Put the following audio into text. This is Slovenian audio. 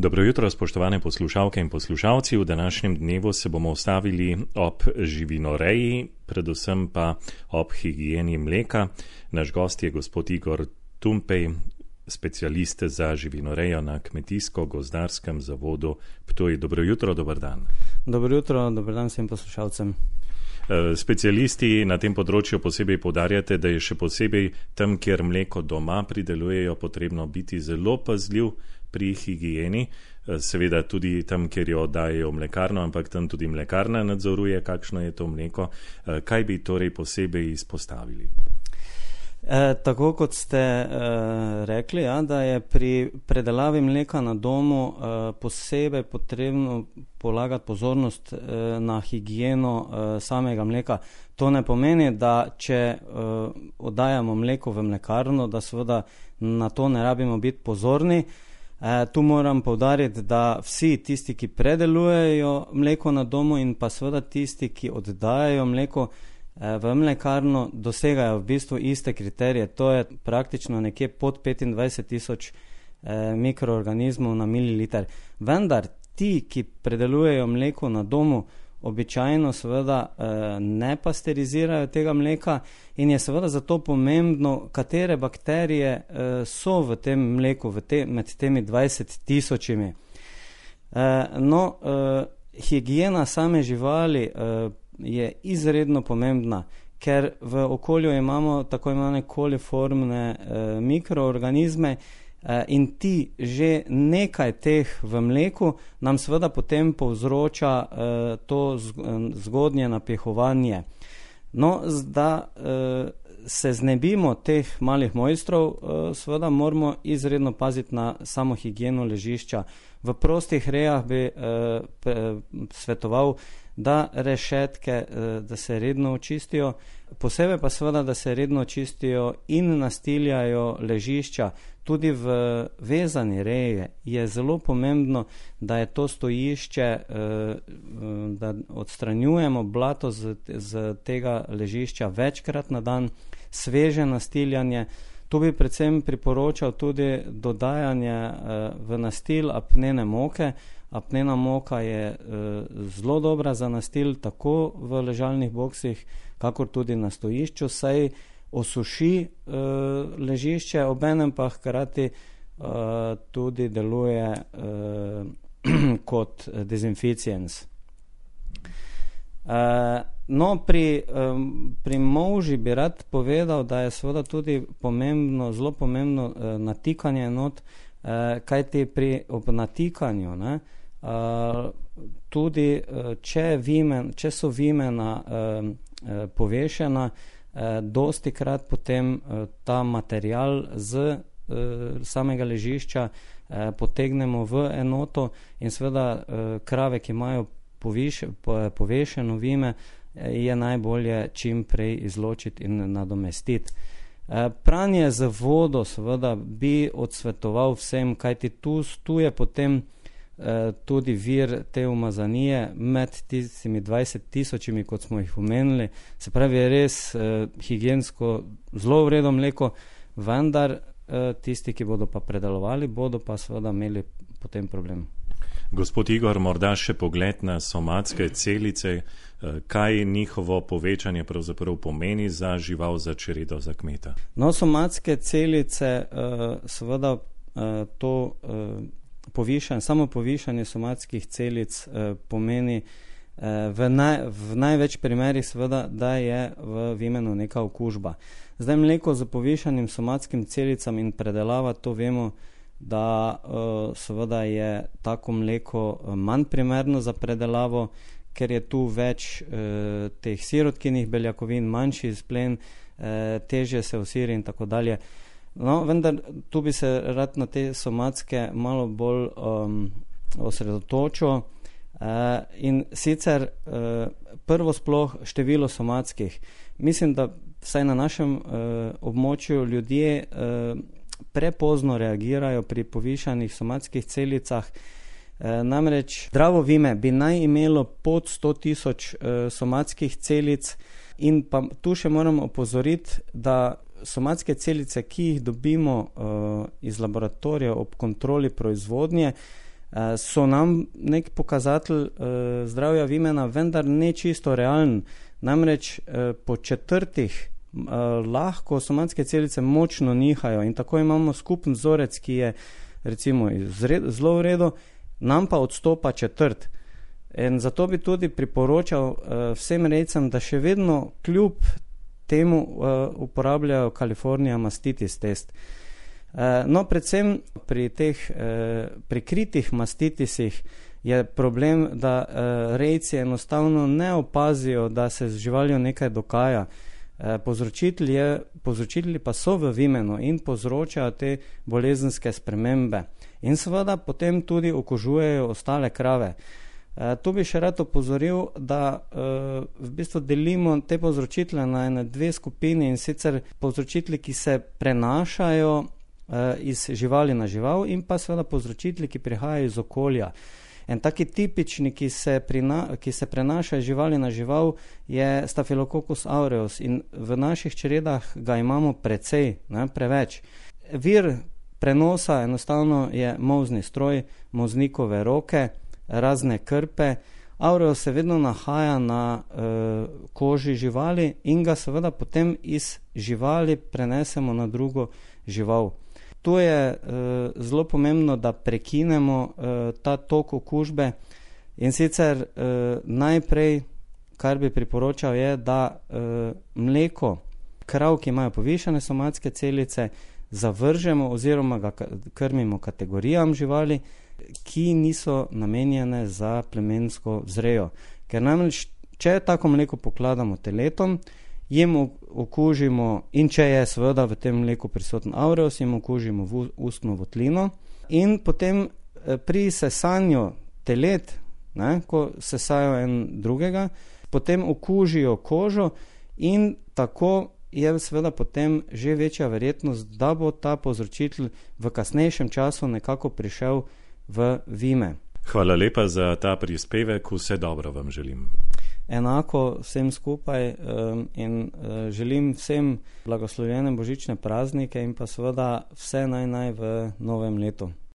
Dobro jutro, spoštovane poslušalke in poslušalci. V današnjem dnevu se bomo ustavili ob živinoreji, predvsem pa ob higieni mleka. Naš gost je gospod Igor Tumpej, specialist za živinorejo na Kmetijsko-gozdarskem zavodu Ptuj. Dobro jutro, dober dan. Dobro jutro, dober dan vsem poslušalcem. Specialisti na tem področju posebej poudarjate, da je še posebej tam, kjer mleko doma pridelujejo, potrebno biti zelo pazljiv pri higieni, seveda tudi tam, kjer jo dajejo v mlekarno, ampak tam tudi mlekarna nadzoruje, kakšno je to mleko. Kaj bi torej posebej izpostavili? Tako kot ste rekli, da je pri predelavi mleka na domu posebej potrebno polagati pozornost na higieno samega mleka. To ne pomeni, da če oddajamo mleko v mlekarno, da seveda na to ne rabimo biti pozorni. Tu moram poudariti, da vsi tisti, ki predelujejo mleko na domu in pa seveda tisti, ki oddajajo mleko v mlekarno, dosegajo v bistvu iste kriterije. To je praktično nekje pod 25,000 mikroorganizmov na mililiter. Vendar ti, ki predelujejo mleko na domu, običajno seveda ne pasterizirajo tega mleka in je seveda zato pomembno, katere bakterije so v tem mleku, med temi 20,000. Higiena same živali je izredno pomembna, ker v okolju imamo tako imenovane koliformne mikroorganizme in ti že nekaj teh v mleku nam seveda potem povzroča to zgodnje napihovanje. Da se znebimo teh malih mojstrov, seveda moramo izredno paziti na samo higieno ležišča. V prostih rejah bi svetoval, da rešetke, da se redno očistijo, posebej pa seveda, da se redno očistijo in nastiljajo ležišča. Tudi v vezani reji je zelo pomembno, da je to stojišče, da odstranjujemo blato z tega ležišča večkrat na dan, sveže nastiljanje. Tu bi predvsem priporočal tudi dodajanje v nastil apnene moke. Apnena moka je zelo dobra za nastil tako v ležalnih boksih, kakor tudi na stojišču, saj osuši ležišče, obenem pa hkrati tudi deluje kot dezinficiens. Pri molži bi rad povedal, da je seveda tudi pomembno, zelo pomembno natikanje not, kajti ob natikanju, tudi če so vimena povešena, dosti krat potem ta material z samega ležišča potegnemo v enoto in seveda krave, ki imajo povešeno vime, je najbolje čim prej izločiti in nadomestiti. Pranje z vodo seveda bi odsvetoval vsem, kajti tu je potem tudi vir te umazanije med tistimi 20,000, kot smo jih omenili. Se pravi, je res higiensko zelo vredno mleko, vendar tisti, ki bodo pa predelovali, bodo pa seveda imeli potem problem. Gospod Igor, morda še pogled na somatske celice, kaj njihovo povečanje pravzaprav pomeni za žival, za čredo, za kmeta? Somatske celice, seveda to samo povišanje somatskih celic pomeni v največ primerih seveda, da je v vimenu neka okužba. Zdaj mleko z povišanim somatskim celicam in predelava, to vemo, da seveda je tako mleko manj primerno za predelavo, ker je tu več teh sirotkinih beljakovin, manjši izplen, težje se osiri in tako dalje. Vendar tu bi se rad na te somatske malo bolj osredotočil in sicer prvo sploh število somatskih. Mislim, da vsaj na našem območju ljudje prepozno reagirajo pri povišanih somatskih celicah. Namreč zdravo vime bi naj imelo pod 100,000 somatskih celic in pa tu še moram opozoriti, da somatske celice, ki jih dobimo iz laboratorija ob kontroli proizvodnje, so nam nek pokazatelj zdravja vimena, vendar ne čisto realen. Namreč po četrtih lahko somatske celice močno nihajo in tako imamo skupen vzorec, ki je recimo zelo v redu, nam pa odstopa četrt. In zato bi tudi priporočal vsem rejcem, da še vedno kljub temu uporabljajo California mastitis test. No, predvsem pri teh prikritih mastitisih je problem, da rejci enostavno ne opazijo, da se z živaljo nekaj dogaja. Povzročitelji pa so v vimenu in povzročajo te bolezenske spremembe. In seveda potem tudi okužujejo ostale krave. Tu bi še rad opozoril, da v bistvu delimo te povzročitele na ene dve skupini, in sicer povzročitelji, ki se prenašajo iz živali na žival, in pa seveda povzročitelji, ki prihajajo iz okolja. En taki tipični, ki se prenaša iz živali na žival, je Staphylococcus aureus in v naših čredah ga imamo precej, preveč. Vir prenosa enostavno je molzni stroj, molznikove roke, razne krpe. Aureus se vedno nahaja na koži živali in ga seveda potem iz živali prenesemo na drugo žival. Tu je zelo pomembno, da prekinemo ta tok okužbe, in sicer najprej, kar bi priporočal, je, da mleko krav, ki imajo povišane somatske celice, zavržemo oziroma ga krmimo kategorijam živali, ki niso namenjene za plemensko vzrejo. Ker namreč, če tako mleko pokladamo teletom, jim okužimo, in če je seveda v tem mleku prisoten aureus, jim okužimo ustno votlino, in potem pri sesanju telet, ko sesajo en drugega, potem okužijo kožo in tako je seveda potem že večja verjetnost, da bo ta povzročitelj v kasnejšem času nekako prišel v vime. Hvala lepa za ta prispevek, vse dobro vam želim. Enako vsem skupaj in želim vsem blagoslovljene božične praznike in pa seveda vse naj v novem letu.